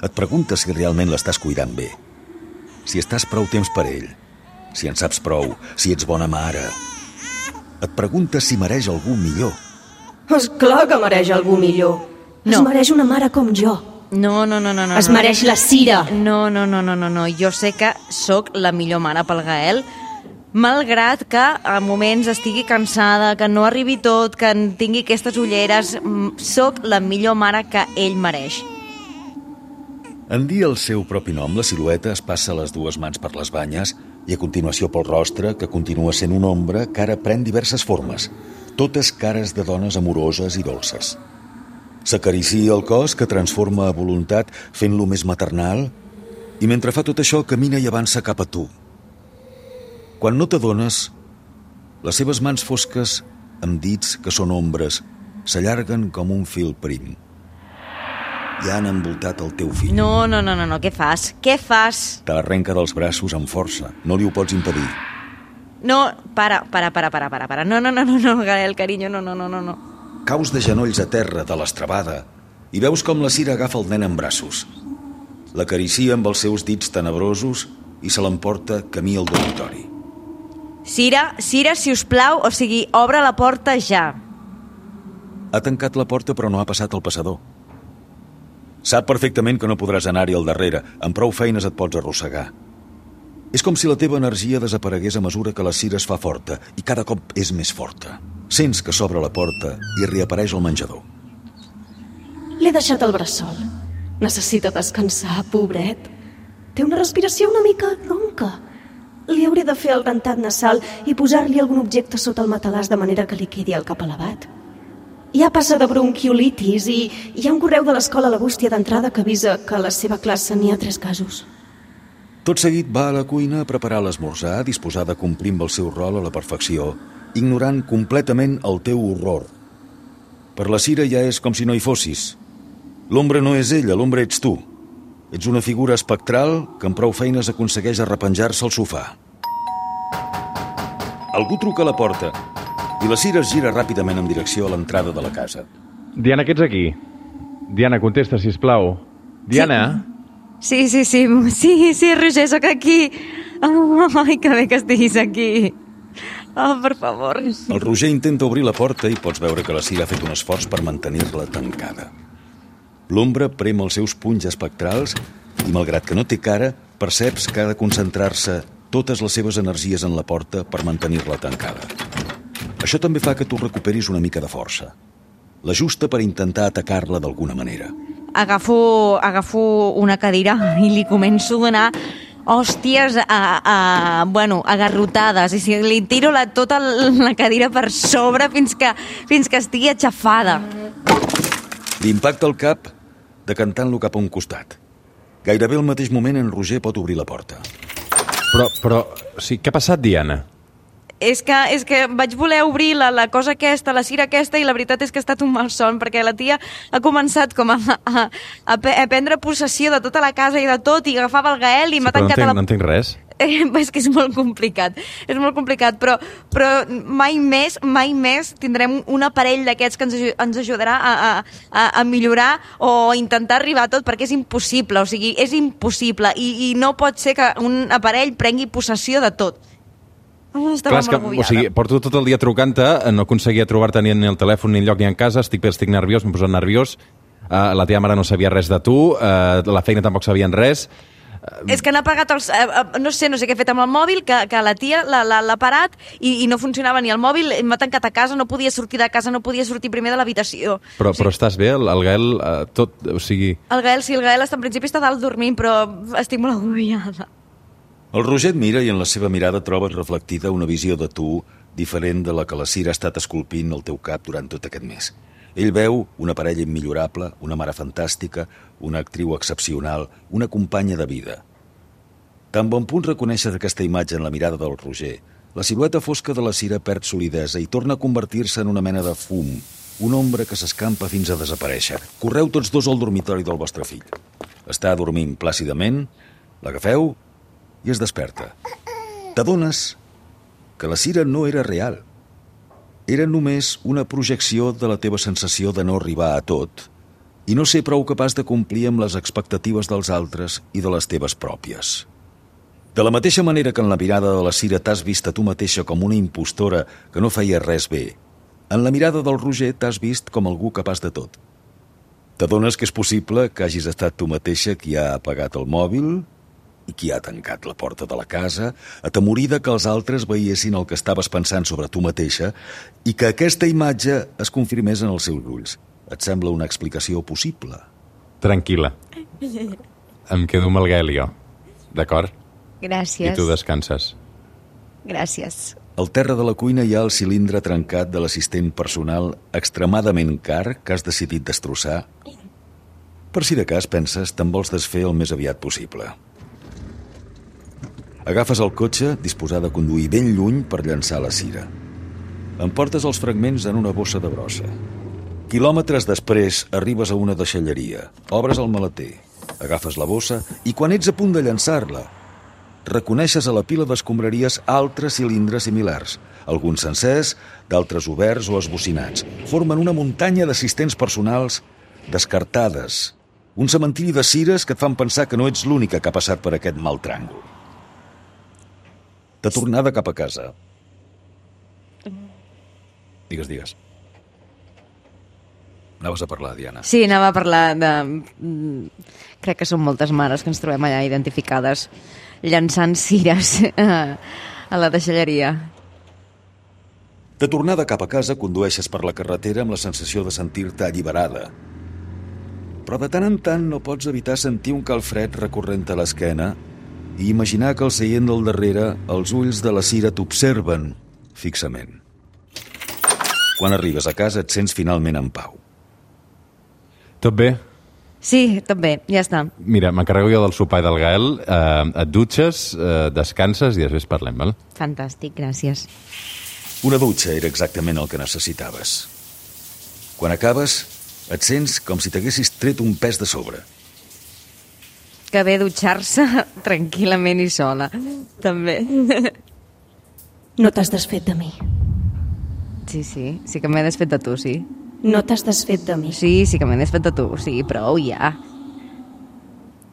[SPEAKER 2] Et preguntes si realment l'estàs cuidant bé, si estàs prou temps per ell, si en saps prou, si ets bona mare. Et preguntes si mereix algú millor.
[SPEAKER 4] És clar que mereix algú millor.
[SPEAKER 3] No.
[SPEAKER 4] Es mereix una mare com jo.
[SPEAKER 3] No, no, no, no. no
[SPEAKER 4] es
[SPEAKER 3] no.
[SPEAKER 4] mereix la Cira.
[SPEAKER 3] No, no, no, no, no, no. Jo sé que sóc la millor mare pel Gael, malgrat que a moments estigui cansada, que no arribi tot, que en tingui aquestes ulleres, sóc la millor mare que ell mereix.
[SPEAKER 2] En dir el seu propi nom, la silueta es passa les dues mans per les banyes i a continuació pel rostre, que continua sent una ombra que ara pren diverses formes, totes cares de dones amoroses i dolces. S'acaricia el cos, que transforma a voluntat fent-lo més maternal, i mentre fa tot això camina i avança cap a tu. Quan no t'adones, les seves mans fosques, amb dits que són ombres, s'allarguen com un fil prim. Ja han envoltat el teu fill.
[SPEAKER 3] No, no, no, no, no. Què fas? Què fas?
[SPEAKER 2] Te l'arrenca dels braços amb força. No li ho pots impedir.
[SPEAKER 3] No, para, para, para, para, para, para. No, no, no, no, no, Gael, carinyo, no, no, no, no, no.
[SPEAKER 2] Caus de genolls a terra de l'estrabada i veus com la Cira agafa el nen en braços. L'acaricia amb els seus dits tenebrosos i se l'emporta camí al dormitori.
[SPEAKER 3] Cira, Cira, si us plau, o sigui, obre la porta ja.
[SPEAKER 2] Ha tancat la porta però no ha passat el passador. Sap perfectament que no podràs anar-hi al darrere. Amb prou feines et pots arrossegar. És com si la teva energia desaparegués a mesura que la Cira es fa forta i cada cop és més forta. Sents que s'obre la porta i reapareix al menjador.
[SPEAKER 4] L'he deixat al bressol. Necessita descansar, pobret. Té una respiració una mica ronca. Li hauré de fer el dentat nasal i posar-li algun objecte sota el matalàs de manera que li quedi el cap elevat. Ja passa de bronquiolitis i hi ha un correu de l'escola a la bústia d'entrada que avisa que a la seva classe n'hi ha tres casos.
[SPEAKER 2] Tot seguit va a la cuina a preparar l'esmorzar, disposada a complir amb el seu rol a la perfecció, ignorant completament el teu horror. Per la Cira ja és com si no hi fossis. L'ombra no és ella, l'ombra ets tu. Ets una figura espectral que amb prou feines aconsegueix arrepenjar-se al sofà. Algú truca a la porta i la Cira es gira ràpidament en direcció a l'entrada de la casa.
[SPEAKER 5] Diana, que ets aquí? Diana, contesta, sisplau. Diana?
[SPEAKER 3] Sí, sí, sí, sí, sí, Roger, sóc aquí. Oh, ai, que bé que estiguis aquí. Oh, per favor.
[SPEAKER 2] El Roger intenta obrir la porta i pots veure que la Cira ha fet un esforç per mantenir-la tancada. L'ombra prem els seus punys espectrals i, malgrat que no té cara, perceps que ha de concentrar-se totes les seves energies en la porta per mantenir-la tancada. Això també fa que tu recuperis una mica de força. L'ajusta per intentar atacar-la d'alguna manera.
[SPEAKER 3] Agafo, agafo una cadira i li començo a donar hòsties a, a, bueno, agarrotades. I si li tiro la, tota la cadira per sobre fins que, fins que estigui aixafada.
[SPEAKER 2] Li impacta el cap decantant-lo cap a un costat. Gairebé al mateix moment en Roger pot obrir la porta.
[SPEAKER 5] Però, però, sí, què ha passat, Diana?
[SPEAKER 3] És que, és que vaig voler obrir la, la cosa aquesta, la Cira aquesta, i la veritat és que ha estat un malson, perquè la tia ha començat com a, a, a, a prendre possessió de tota la casa i de tot, i agafava el Gael i
[SPEAKER 5] Sí,
[SPEAKER 3] m'ha
[SPEAKER 5] però no
[SPEAKER 3] tancat
[SPEAKER 5] entenc,
[SPEAKER 3] a la...
[SPEAKER 5] no entenc res.
[SPEAKER 3] Eh, és que és molt complicat, és molt complicat, però, però mai més, mai més tindrem un aparell d'aquests que ens, ens ajudarà a, a, a millorar o intentar arribar a tot, perquè és impossible, o sigui, és impossible, i, i no pot ser que un aparell prengui possessió de tot. Oh, estava
[SPEAKER 5] Clar, és que,
[SPEAKER 3] molt
[SPEAKER 5] o
[SPEAKER 3] agobiada.
[SPEAKER 5] sigui, porto tot el dia trucant-te, no aconseguia trobar-te ni en el telèfon, ni enlloc, ni en casa, estic, estic nerviós, m'he posat nerviós, uh, la teva mare no sabia res de tu, uh, la feina tampoc sabien res.
[SPEAKER 3] És que n'ha pagat els... Eh, eh, no sé, no sé què he fet amb el mòbil, que, que la tia l'ha parat i, i no funcionava ni el mòbil, m'ha tancat a casa, no podia sortir de casa, no podia sortir primer de l'habitació.
[SPEAKER 5] Però,
[SPEAKER 3] O sigui,
[SPEAKER 5] però estàs bé? El, el Gael, uh, tot, o sigui...
[SPEAKER 3] El Gael, sí, el Gael està, en principi està dalt dormint, però estic molt agobiada.
[SPEAKER 2] El Roger et mira i en la seva mirada trobes reflectida una visió de tu diferent de la que la Cira ha estat esculpint al teu cap durant tot aquest mes. Ell veu una parella immillorable, una mare fantàstica, una actriu excepcional, una companya de vida. Tan bon punt reconeixes aquesta imatge en la mirada del Roger, la silueta fosca de la Cira perd solidesa i torna a convertir-se en una mena de fum, una ombra que s'escampa fins a desaparèixer. Correu tots dos al dormitori del vostre fill. Està dormint plàcidament, l'agafeu i es desperta. T'adones que la Cira no era real. Era només una projecció de la teva sensació de no arribar a tot i no ser prou capaç de complir amb les expectatives dels altres i de les teves pròpies. De la mateixa manera que en la mirada de la Cira t'has vist a tu mateixa com una impostora que no feia res bé, en la mirada del Roger t'has vist com algú capaç de tot. T'adones que és possible que hagis estat tu mateixa qui ha apagat el mòbil i qui ha tancat la porta de la casa, atemorida que els altres veiessin el que estaves pensant sobre tu mateixa i que aquesta imatge es confirmés en els seus ulls. Et sembla una explicació possible?
[SPEAKER 5] Tranquil·la. Em quedo amb el Gael i jo. D'acord?
[SPEAKER 3] Gràcies.
[SPEAKER 5] I tu descanses.
[SPEAKER 3] Gràcies.
[SPEAKER 2] Al terra de la cuina hi ha el cilindre trencat de l'assistent personal extremadament car que has decidit destrossar. Per si de cas penses, te'n vols desfer el més aviat possible. Agafes el cotxe, disposada a conduir ben lluny per llançar la Cira. Emportes els fragments en una bossa de brossa. Quilòmetres després arribes a una deixalleria, obres el maleter, agafes la bossa i quan ets a punt de llançar-la, reconeixes a la pila d'escombraries altres cilindres similars, alguns sencers, d'altres oberts o esbocinats. Formen una muntanya d'assistents personals descartades, un cementiri de cires que et fan pensar que no ets l'única que ha passat per aquest mal tràngol. De tornada cap a casa. Digues, digues. Anaves a parlar, Diana.
[SPEAKER 3] Sí, anava a parlar de... Crec que són moltes mares que ens trobem allà identificades llançant cires a, a la deixalleria.
[SPEAKER 2] De tornada cap a casa, condueixes per la carretera amb la sensació de sentir-te alliberada. Però de tant en tant no pots evitar sentir un calfred recorrent a l'esquena i imaginar que al seient del darrere els ulls de la Cira t'observen fixament. Quan arribes a casa et sents finalment en pau.
[SPEAKER 5] Tot bé?
[SPEAKER 3] Sí, tot bé, ja està.
[SPEAKER 5] Mira, m'encarrego jo del sopar i del Gael, eh, et dutxes, eh, descanses i després parlem, val?
[SPEAKER 3] Fantàstic, gràcies.
[SPEAKER 2] Una dutxa era exactament el que necessitaves. Quan acabes, et sents com si t'haguessis tret un pes de sobre.
[SPEAKER 3] Que bé dutxar-se tranquil·lament i sola, també.
[SPEAKER 4] No t'has desfet de mi.
[SPEAKER 3] Sí, sí, sí que m'he desfet de tu, sí.
[SPEAKER 4] No t'has desfet de mi.
[SPEAKER 3] Sí, sí que m'he desfet de tu, sí, prou ja.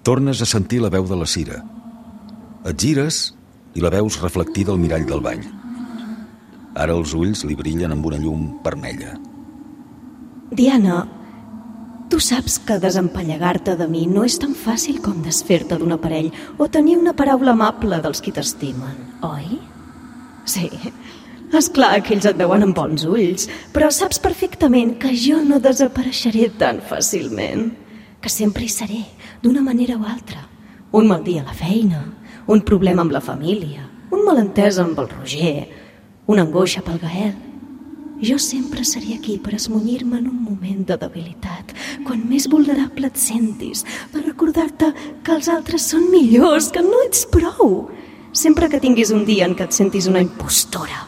[SPEAKER 2] Tornes a sentir la veu de la Cira. Et gires i la veus reflectida al mirall del bany. Ara els ulls li brillen amb una llum vermella.
[SPEAKER 4] Diana, tu saps que desempallegar-te de mi no és tan fàcil com desfer-te d'un aparell o tenir una paraula amable dels qui t'estimen, oi? Sí, és clar que ells et veuen amb bons ulls, però saps perfectament que jo no desapareixeré tan fàcilment, que sempre hi seré, d'una manera o altra. Un mal dia a la feina, un problema amb la família, un malentès amb el Roger, una angoixa pel Gael. Jo sempre seré aquí per esmunyir-me en un moment de debilitat, quan més vulnerable et sentis, per recordar-te que els altres són millors, que no ets prou. Sempre que tinguis un dia en què et sentis una impostora,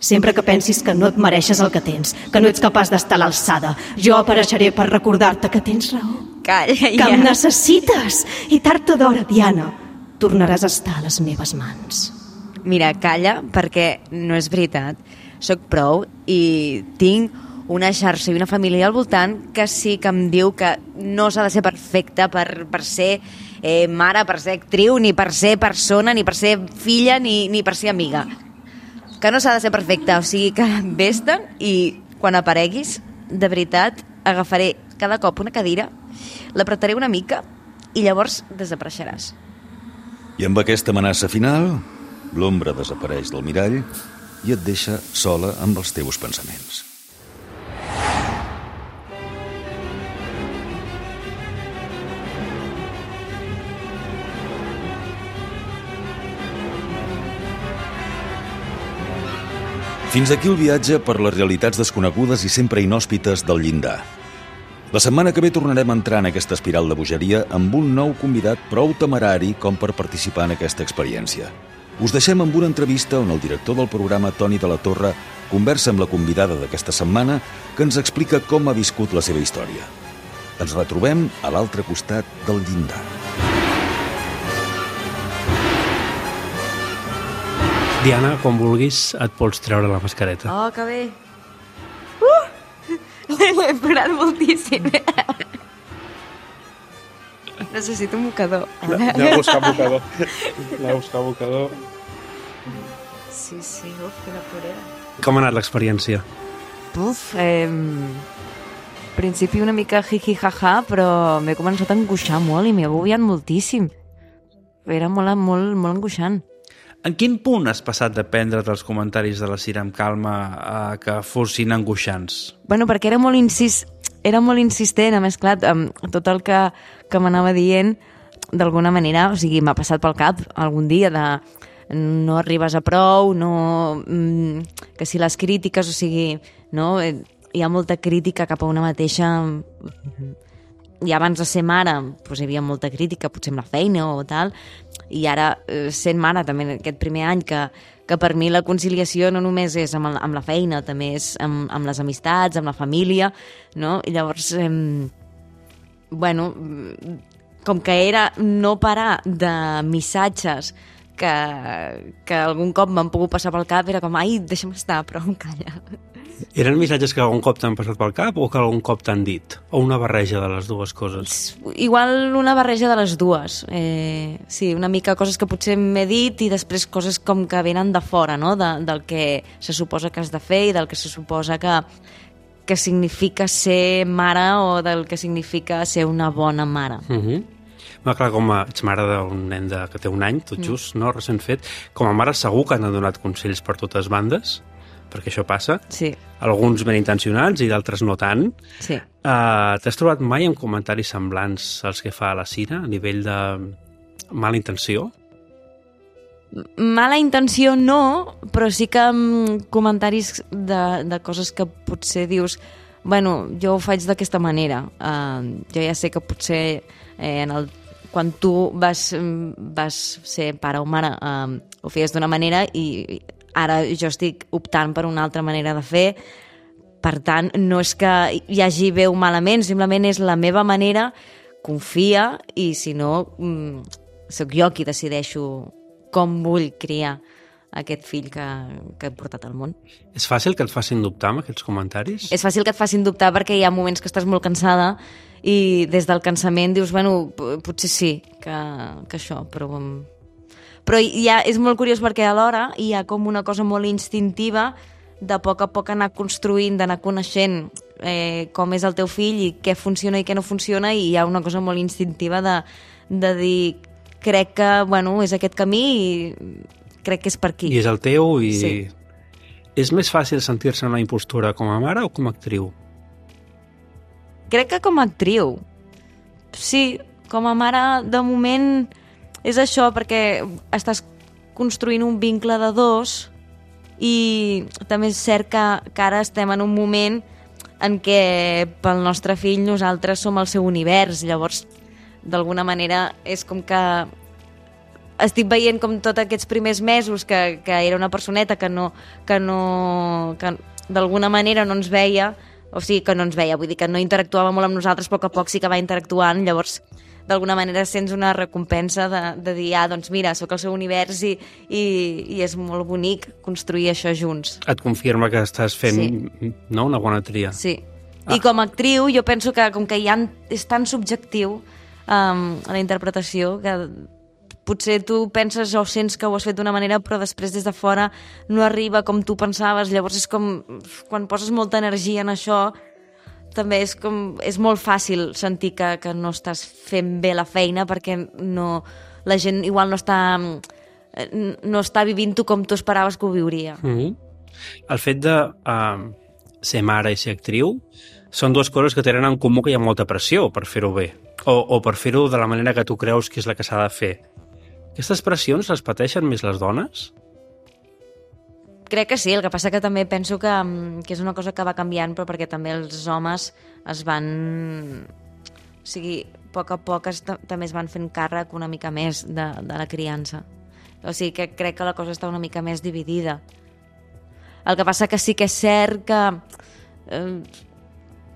[SPEAKER 4] sempre que pensis que no et mereixes el que tens, que no ets capaç d'estar a l'alçada, jo apareixeré per recordar-te que tens raó.
[SPEAKER 3] Calla, ja.
[SPEAKER 4] Que em necessites. I tard o d'hora, Diana, tornaràs a estar a les meves mans.
[SPEAKER 3] Mira, calla, perquè no és veritat. Soc prou i tinc una xarxa i una família al voltant que sí que em diu que no s'ha de ser perfecta per, per ser eh, mare, per ser actriu, ni per ser persona, ni per ser filla, ni, ni per ser amiga. Que no s'ha de ser perfecta, o sigui que vés-te'n i quan apareguis, de veritat, agafaré cada cop una cadira, l'apretaré una mica i llavors desapareixeràs.
[SPEAKER 2] I amb aquesta amenaça final, l'ombra desapareix del mirall i et deixa sola amb els teus pensaments. Fins aquí el viatge per les realitats desconegudes i sempre inhòspites del llindar. La setmana que ve tornarem a entrar en aquesta espiral de bogeria amb un nou convidat prou temerari com per participar en aquesta experiència. Us deixem amb una entrevista on el director del programa, Toni de la Torre, conversa amb la convidada d'aquesta setmana que ens explica com ha viscut la seva història. Ens retrobem a l'altre costat del llindar.
[SPEAKER 6] Diana, quan vulguis, et pots treure la mascareta.
[SPEAKER 3] Oh, que bé. Uh! L'he parat moltíssim. Necessito un mocador.
[SPEAKER 6] Aneu a buscar mocador. Aneu a buscar mocador.
[SPEAKER 3] Sí, sí, uf, quina plorera.
[SPEAKER 6] Com ha anat l'experiència?
[SPEAKER 3] Uf, eh, al principi una mica jiji jaja, però m'he començat a angoixar molt i m'he agobiat moltíssim. Era molt, molt, molt angoixant.
[SPEAKER 7] En quin punt has passat de prendre't els comentaris de la Cira amb calma a que fossin angoixants?
[SPEAKER 3] Bueno, perquè era molt, insis... era molt insistent, a més, clar, tot el que, que m'anava dient, d'alguna manera, o sigui, m'ha passat pel cap algun dia de no arribes a prou, no... que si les crítiques, o sigui, no... hi ha molta crítica cap a una mateixa... I abans de ser mare doncs hi havia molta crítica, potser amb la feina o tal, i ara sent mare també aquest primer any que, que per mi la conciliació no només és amb, el, amb la feina, també és amb, amb les amistats, amb la família, no? I llavors, eh, bueno, com que era no parar de missatges que que, que algun cop m'han pogut passar pel cap, era com, ai, deixa'm estar, però em calla.
[SPEAKER 6] Eren missatges que algun cop t'han passat pel cap o que algun cop t'han dit? O una barreja de les dues coses?
[SPEAKER 3] Igual una barreja de les dues. Eh, sí, una mica coses que potser m'he dit i després coses com que venen de fora, no? De, del que se suposa que has de fer i del que se suposa que, que significa ser mare o del que significa ser una bona mare.
[SPEAKER 6] Uh -huh. Va, clar, com a, ets mare d'un nen de, que té un any, tot just, mm. no? Recent fet. Com a mare segur que han donat consells per totes bandes, perquè això passa.
[SPEAKER 3] Sí.
[SPEAKER 6] Alguns ben intencionats i d'altres no tant.
[SPEAKER 3] Sí.
[SPEAKER 6] Uh, T'has trobat mai amb comentaris semblants als que fa la Cira, a nivell de mala intenció?
[SPEAKER 3] Mala intenció no, però sí que amb comentaris de, de coses que potser dius, bueno, jo ho faig d'aquesta manera. Uh, jo ja sé que potser eh, en el quan tu vas, vas ser pare o mare, eh, ho feies d'una manera i ara jo estic optant per una altra manera de fer. Per tant, no és que hi hagi bé o malament, simplement és la meva manera, confia, i si no, mm, sóc jo qui decideixo com vull criar aquest fill que, que he portat al món.
[SPEAKER 6] És fàcil que et facin dubtar amb aquests comentaris?
[SPEAKER 3] És fàcil que et facin dubtar perquè hi ha moments que estàs molt cansada i des del cansament dius, bueno, potser sí que, que això, però... Però ja és molt curiós perquè alhora hi ha com una cosa molt instintiva de a poc a poc anar construint, d'anar coneixent eh, com és el teu fill i què funciona i què no funciona, i hi ha una cosa molt instintiva de, de dir, crec que, bueno, és aquest camí i crec que és per aquí.
[SPEAKER 6] I és el teu i...
[SPEAKER 3] Sí.
[SPEAKER 6] És més fàcil sentir-se una impostura com a mare o com a actriu?
[SPEAKER 3] Crec que com a actriu. Sí, com a mare, de moment, és això, perquè estàs construint un vincle de dos i també és cert que, que ara estem en un moment en què pel nostre fill nosaltres som el seu univers, llavors d'alguna manera és com que estic veient com tots aquests primers mesos que, que era una personeta que no que no que d'alguna manera no ens veia, o sigui que no ens veia, vull dir que no interactuava molt amb nosaltres, a poc a poc sí que va interactuant, llavors d'alguna manera sents una recompensa de, de dir, ah, doncs mira, sóc el seu univers i, i, i és molt bonic construir això junts.
[SPEAKER 6] Et confirma que estàs fent
[SPEAKER 3] Sí.
[SPEAKER 6] no, una bona tria.
[SPEAKER 3] Sí.
[SPEAKER 6] Ah.
[SPEAKER 3] I com a actriu jo penso que com que ja és tan subjectiu um, a la interpretació que potser tu penses o sents que ho has fet d'una manera però després des de fora no arriba com tu pensaves, llavors és com quan poses molta energia en això també és com és molt fàcil sentir que, que no estàs fent bé la feina perquè no, la gent igual no està no està vivint-ho com tu esperaves que ho viuria.
[SPEAKER 6] Mm-hmm. El fet de uh, ser mare i ser actriu són dues coses que tenen en comú que hi ha molta pressió per fer-ho bé o, o per fer-ho de la manera que tu creus que és la que s'ha de fer. Aquestes pressions les pateixen més les dones?
[SPEAKER 3] Crec que sí, el que passa que també penso que, que és una cosa que va canviant, però perquè també els homes es van... O sigui, a poc a poc es, també es van fent càrrec una mica més de, de la criança. O sigui que crec que la cosa està una mica més dividida. El que passa que sí que és cert que... Eh,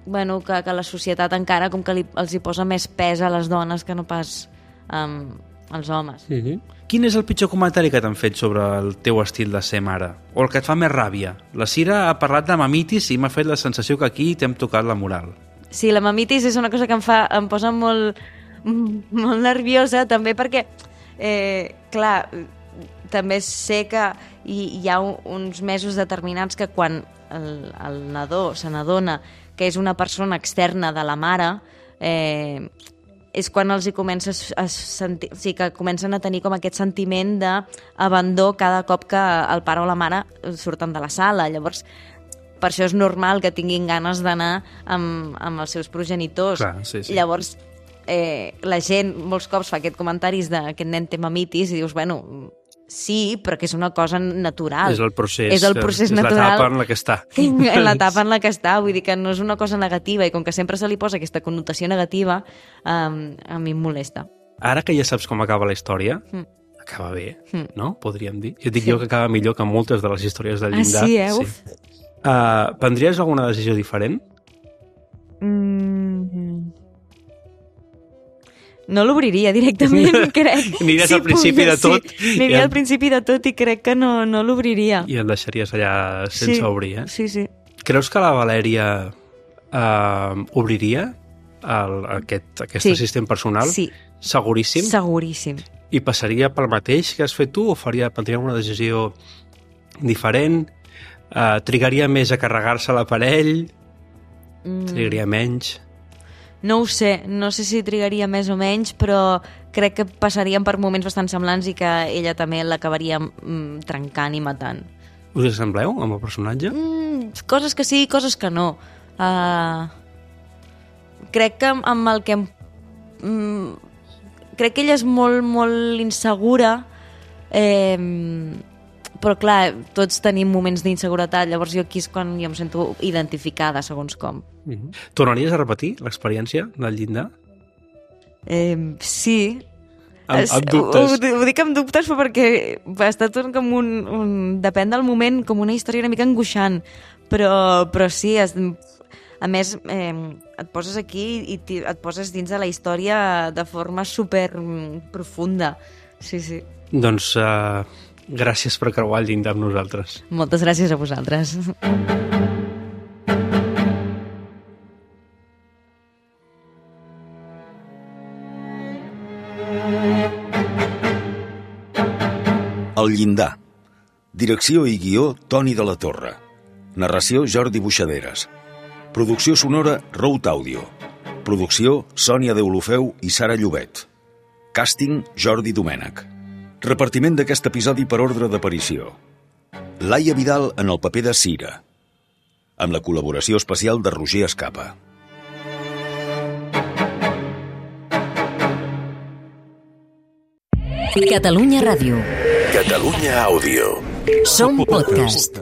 [SPEAKER 3] bueno, que, que la societat encara com que li, els hi posa més pes a les dones que no pas um, als homes.
[SPEAKER 6] Mm-hmm.
[SPEAKER 7] Quin és el pitjor comentari que t'han fet sobre el teu estil de ser mare? O el que et fa més ràbia? La Cira ha parlat de mamitis i m'ha fet la sensació que aquí t'hem tocat la moral.
[SPEAKER 3] Sí, la mamitis és una cosa que em fa em posa molt, molt nerviosa, també perquè, eh, clar, també sé que hi, hi ha uns mesos determinats que quan el, el nadó se n'adona que és una persona externa de la mare, eh, és quan els hi comença a sentir, o sigui, que comencen a tenir com aquest sentiment d'abandó cada cop que el pare o la mare surten de la sala. Llavors, per això és normal que tinguin ganes d'anar amb, amb els seus progenitors.
[SPEAKER 6] Clar, sí, sí.
[SPEAKER 3] Llavors, eh, la gent molts cops fa aquest comentaris de que aquest nen té mamitis i dius, bueno, sí, però que és una cosa natural.
[SPEAKER 6] És el procés,
[SPEAKER 3] és el procés
[SPEAKER 6] és
[SPEAKER 3] natural.
[SPEAKER 6] l'etapa en la que està.
[SPEAKER 3] En l'etapa en la que està, vull dir que no és una cosa negativa i com que sempre se li posa aquesta connotació negativa, um, a mi em molesta.
[SPEAKER 6] Ara que ja saps com acaba la història,
[SPEAKER 3] Mm.
[SPEAKER 6] acaba bé,
[SPEAKER 3] Mm.
[SPEAKER 6] no? Podríem dir. Jo dic
[SPEAKER 3] Sí.
[SPEAKER 6] jo que acaba millor que moltes de les històries del
[SPEAKER 3] Ah,
[SPEAKER 6] llindar.
[SPEAKER 3] sí, eh? Uf.
[SPEAKER 6] Uh, prendries alguna decisió diferent?
[SPEAKER 3] Mm. No l'obriria directament, crec.
[SPEAKER 6] Aniries al principi de tot.
[SPEAKER 3] Sí, aniria
[SPEAKER 6] i
[SPEAKER 3] al principi de tot i crec que no, no l'obriria.
[SPEAKER 6] I el deixaries allà sense
[SPEAKER 3] sí,
[SPEAKER 6] obrir, eh?
[SPEAKER 3] Sí, sí.
[SPEAKER 6] Creus que la Valèria eh, obriria el, aquest, aquest
[SPEAKER 3] Sí.
[SPEAKER 6] assistent personal?
[SPEAKER 3] Sí.
[SPEAKER 6] Seguríssim?
[SPEAKER 3] Seguríssim.
[SPEAKER 6] I passaria pel mateix que has fet tu o faria, prendria una decisió diferent? Uh, trigaria més a carregar-se l'aparell?
[SPEAKER 3] Mm.
[SPEAKER 6] Trigaria menys?
[SPEAKER 3] No ho sé, no sé si trigaria més o menys, però crec que passarien per moments bastant semblants i que ella també l'acabaria mm, trencant i matant.
[SPEAKER 6] Us assembleu amb el personatge?
[SPEAKER 3] Mm, coses que sí, coses que no. Uh, crec que amb el que... Mm, crec que ella és molt, molt insegura, eh, però clar, tots tenim moments d'inseguretat, llavors jo aquí és quan jo em sento identificada, segons com.
[SPEAKER 6] Mm-hmm. Tornaries a repetir l'experiència del llindar?
[SPEAKER 3] Eh, sí.
[SPEAKER 6] Amb,
[SPEAKER 3] Es-
[SPEAKER 6] amb dubtes?
[SPEAKER 3] Ho, ho dic amb dubtes però perquè ha estat un, com un, un... Depèn del moment, com una història una mica angoixant. Però, però sí, es, a més, eh, et poses aquí i ti- et poses dins de la història de forma super mm, profunda. Sí, sí.
[SPEAKER 6] Doncs uh, gràcies per creuar el llindar amb nosaltres.
[SPEAKER 3] Moltes gràcies a vosaltres.
[SPEAKER 2] El llindar. Direcció i guió, Toni de la Torre. Narració, Jordi Buixaderes. Producció sonora, Rout Audio. Producció, Sònia Deulofeu i Sara Llobet. Càsting, Jordi Domènech. Repartiment d'aquest episodi per ordre d'aparició. Laia Vidal en el paper de Cira, amb la col·laboració especial de Roger Escapa.
[SPEAKER 1] Catalunya Ràdio.
[SPEAKER 8] Catalunya Àudio.
[SPEAKER 1] Som podcast.